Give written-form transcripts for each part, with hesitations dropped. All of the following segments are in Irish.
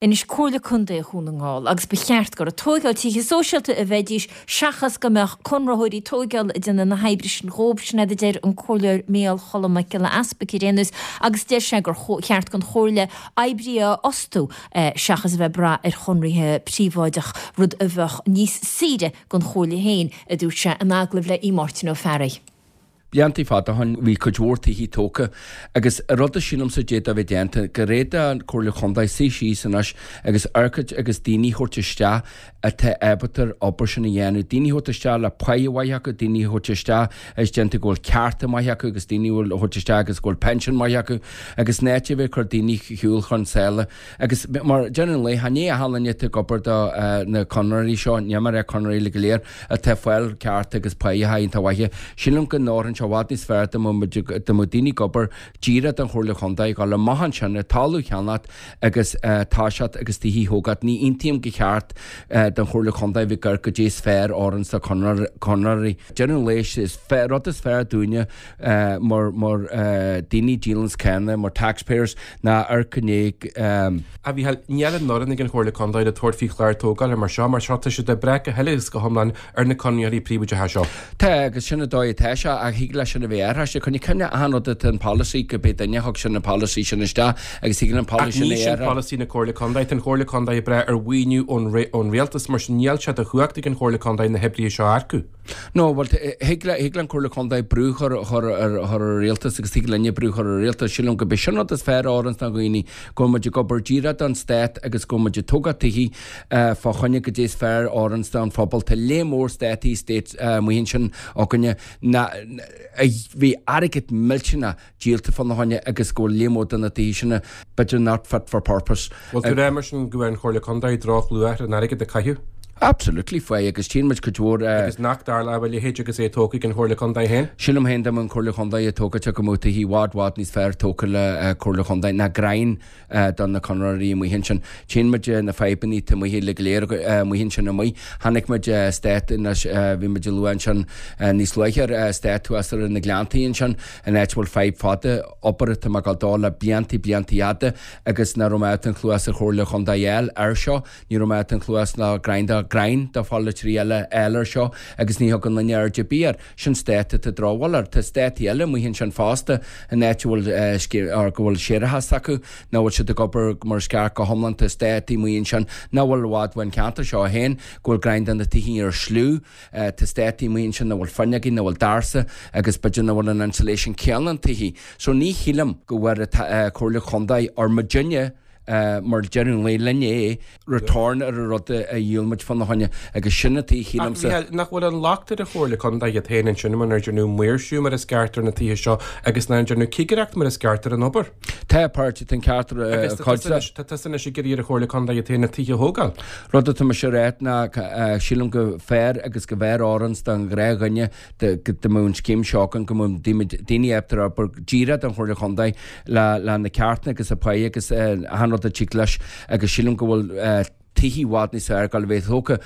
Anois Comhairle Contae Dhún na nGall agus ba cheart gur ag tóigeáil tithe sóisialta a bheidís seachas go mbeadh conraitheoirí tóigeála ag déanamh na hoibre sin dhóibh, sin iad a deir an Comhairleoir Micheál Cholm Mac Giolla Easpaig ar aon nós agus deir sé gur cheart don Chomhairle oibrithe a fhostú seachas a bheith ag brath ar chonraithe príobháideach, rud a bheadh níos saoire don Chomhairle féin, a dúirt sé in agallamh le Aodh Máirtín Ó Fearraigh. Bliantaí fada ó shoin bhí cuid mhór tithí tógtha agus an rud a sílimse d'fhéadfadh a bheith déanta, go bhféadfadh an Comhairle Chontae suí síos anois agus amharc agus daoine a thabhairt isteach atá ábalta an obair sin a dhéanamh, daoine a thabhairt isteach le páighe mhaith acu, daoine a thabhairt isteach agus déanta go bhfuil cearta maith acu agus daoine a thabhairt isteach agus go bhfuil pension maith acu agus in áit a bheith ag cur daoine shiúl chun sáile agus mar deireadh an lae, chan é achan duine atá ag obair do na conraitheoirí seo, níl mé ag rá conraitheoirí go léir, atá ag fáil cearta agus páighe iontach mhaithe. Sílim go n-oirfeadh sé i bhfad níos fearr dá mbeadh dá mbeadh daoine ag obair díreach don Chomhairle Chontae, dhul amach ansin ar talamh a cheannacht agus toiseacht agus tithe a thógáil. Ní aontaím gur cheart don Chomhairle Chontae bheith ag amharc goidé is fearr orainn sna conraitheoirí. Deireadh an lae is rud is fearr dúinne mar mar daoine díolanns cánach, mar taxpayers, ná amharc i ndiaidh. A Mhícheáil, níl an fhoireann ag an Chomhairle Contae le tabhairt faoi chlár tógála mar seo, mar seo tá siad ag brath go huile is go hiomlán ar na conraitheoirí príobháideacha seo. Tá, agus sin an dóigh atá sé, ach thig leis sin a bheith athraithe. Coinnigh cuimhne achan rud atá an polasaí, go b'é duine a thug sin an polasaí sin isteach agus thig an Ach polasaí sin ní a sin athrú. polasaí na Comhairle Contae. Tá an Chomhairle Contae ag brath ar mhaoiniú ón rialtas, mar sin níl sé de chumhacht ag an Chomhairle Contae na hoibrithe seo a earcú. No, bhuel, thig le, thig le an Comhairle Contae brú chur, chur ar, chur ar an rialtas agus thig linne brú chur ar an rialtas. Sílim go b'é sin rud is fearr a oireanns do dhaoine, go bhfuil muid ag obair díreach don stát agus go bhfuil muid ag tógáil tithí fá choinne goidé is fearr a oireanns don phobal. Tá lear mór státaí, estates, amuigh ansin againne ná, a bhí airgead millteanach díolta fána choinne agus go bhfuil lear mór de na tithí sin b'fhéidir not fit for purpose. Bhfuil tú ag rá mar sin go bhfuair an Chomhairle Contae drochluach ar an airgead a caitheadh? Absolutely faoi agus tchíonn muid cuid mhór. Agus nach dtarlódh a leithéid agus é tógtha ag an Chomhairle Contae féin? Sílim féin dá mbeadh an Comhairle Chontae ag tógáilt go mbeadh tithí i bhfad bhfad níos fearr tógtha le Comhairle Chontae ná greim do na conraitheoirí amuigh ansin. Tchíonn muid na fadhbanna atá amuigh uilig go léir amuigh ansin amuigh. Chonaic muid eastát anois, bhí muid ag lua ansin níos luaithe ar eastát thuas ar na Gleanntaí ansin, in áit a bhfuil fadhb fada, obair atá ag gabháil dó le bliantaí, bliantaí fhada agus nach raibh mé ábalta an chluas ar Chomhairle Chontae a fháil air seo. Ní raibh mé ábalta an chluas ná greim de ghreim de pholaiteoirí eile a fháil air seo agus ní thugann duine aird ar bith air. Sin eastát atá drochbhail air. Tá eastátaí eile amuigh ansin fosta in áit a bhfuil or go bhfuil séarachas acu, nach bhfuil siad ag obair mar is ceart go hiomlán. Tá eastátaí amuigh ansin nach bhfuil i bhfad ón cheantar seo féin, go bhfuil greim de na tithí ar sliú. Tá eastátaí amuigh ansin nach bhfuil fuinneogaí, nach bhfuil doirse agus b'fhéidir nach bhfuil an insulation céanna an tithí. So ní shílim go bhfuair an Comhairle Chontae or muidinne, mar deireadh an lae linn é, return ar an rud a dhíol muid fána choinne agus sin an taobh Ach shílimse. Mhícheáil, nach bhfuil an locht ar an Chomhairle Contae iad féin ansin mar nár deineadh maoirsiú mar is ceart ar na tithe seo agus nár deineadh cigireacht mar is ceart ar an obair? Tá páirt, tá an ceart ar Agus tá chuid tusa de. anois, tá tusa anois ag iarraidh ar an Chomhairle Contae iad féin na tithe a thógáil. Rud atá mise a rá ná sílim go fearr agus go bhfearr oireanns don ghnáthdhuine go mbeadh an scéim seo againn, go mbeadh daoine ábalta ar obair díreach don Chomhairle Chontae le na ceartanna agus a páighe agus achan rud a tig leis agus sílim go bhfuil tithí i bhfad níos fearr ag dul a bheith tógtha.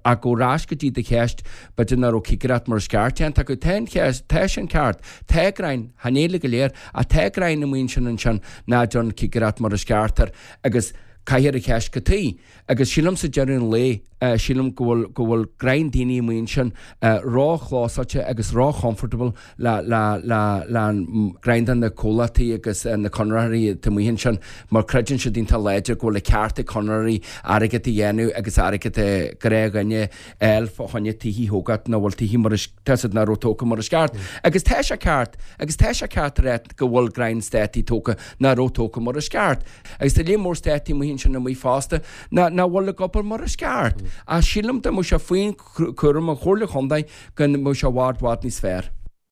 Ach go ar ais go dtí do cheist, b'fhéidir nach raibh cigireacht mar is ceart déanta acu. Tá an cheist, tá sin ceart. Tá greim, chan é uilig go léir, ach tá greim amuigh ansin ansin ná déan cigireacht mar is ceart air agus caithfear an cheist cad chuige. Agus sílim sa deireadh an lae, sílim go bhfuil, go bhfuil greim daoine amuigh ansin ró-chlósáilte agus ró-chomfortable le, le, le, le an greim de na comhlachtaí agus na conraitheoirí atá amuigh ansin mar creideann siad iontach láidir go bhfuil an ceart ag conraitheoirí airgead a dhéanamh agus airgead a gnáthdhuine a fháil fá choinne tithí a thógáil nach bhfuil tithí mar is, tá siad nach raibh tógtha mar is ceart. Agus tá sé ceart, agus tá sé ceart a rá go bhfuil greim eastátaí tógtha nach raibh tógtha mar is ceart. Agus tá lear mór eastátaí amuigh ansin amuigh fosta nach bhfuil ag obair mar is ceart. Ach sílim dá mbeadh sé faoin chúram an Chomhairle Chontae go mbeadh sé i bhfad bhfad níos fearr.